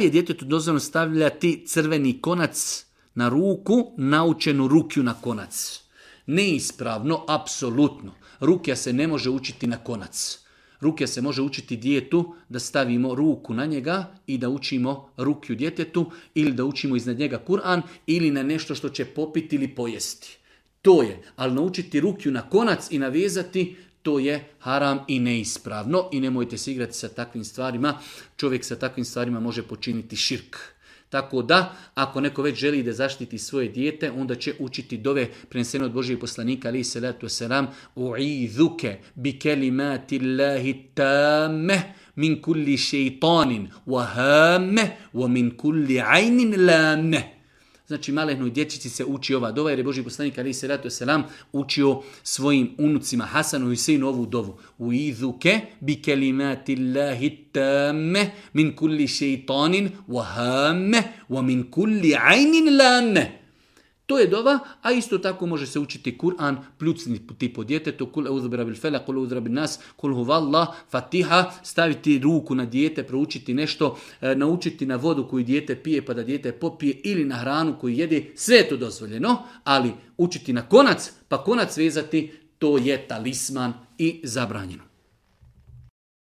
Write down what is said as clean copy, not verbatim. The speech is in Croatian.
je djetetu dozvoljeno stavljati crveni konac na ruku, naučenu rukju na konac. Neispravno, apsolutno. Rukja se ne može učiti na konac. Rukja se može učiti djetetu da stavimo ruku na njega i da učimo rukju djetetu ili da učimo iznad njega Kur'an ili na nešto što će popiti ili pojesti. To je, ali naučiti rukju na konac i navezati, to je haram i neispravno i nemojte se igrati sa takvim stvarima. Čovjek sa takvim stvarima može počiniti širk. Tako da, ako neko već želi da zaštiti svoje dijete, onda će učiti dove prenesene od Božijeg poslanika, alejhi salatu vesselam, u'idhuke bi kelimati Allahi tammeh min kulli šeitanin wa hammeh wa min kulli ajnin lameh. Znači, malehnoj dječici se uči ova dova, jer je Božji poslanik alejhi salatu vesselam učio svojim unucima Hasanu i Huseinu ovu dovu. U'idhuke bi kelimati Allahi tammeh min kulli šeitanin wa hammeh wa min kulli ajnin lameh. To je dova, a isto tako može se učiti Kur'an, pljucniti po djetetu, kul eudhu bi rabbil felak, kul eudhu bi nas, kul huvallah, fatiha, staviti ruku na dijete, proučiti nešto, naučiti na vodu koju dijete pije pa da dijete popije ili na hranu koju jede, sve je to dozvoljeno, ali učiti na konac, pa konac vezati, to je talisman i zabranjeno.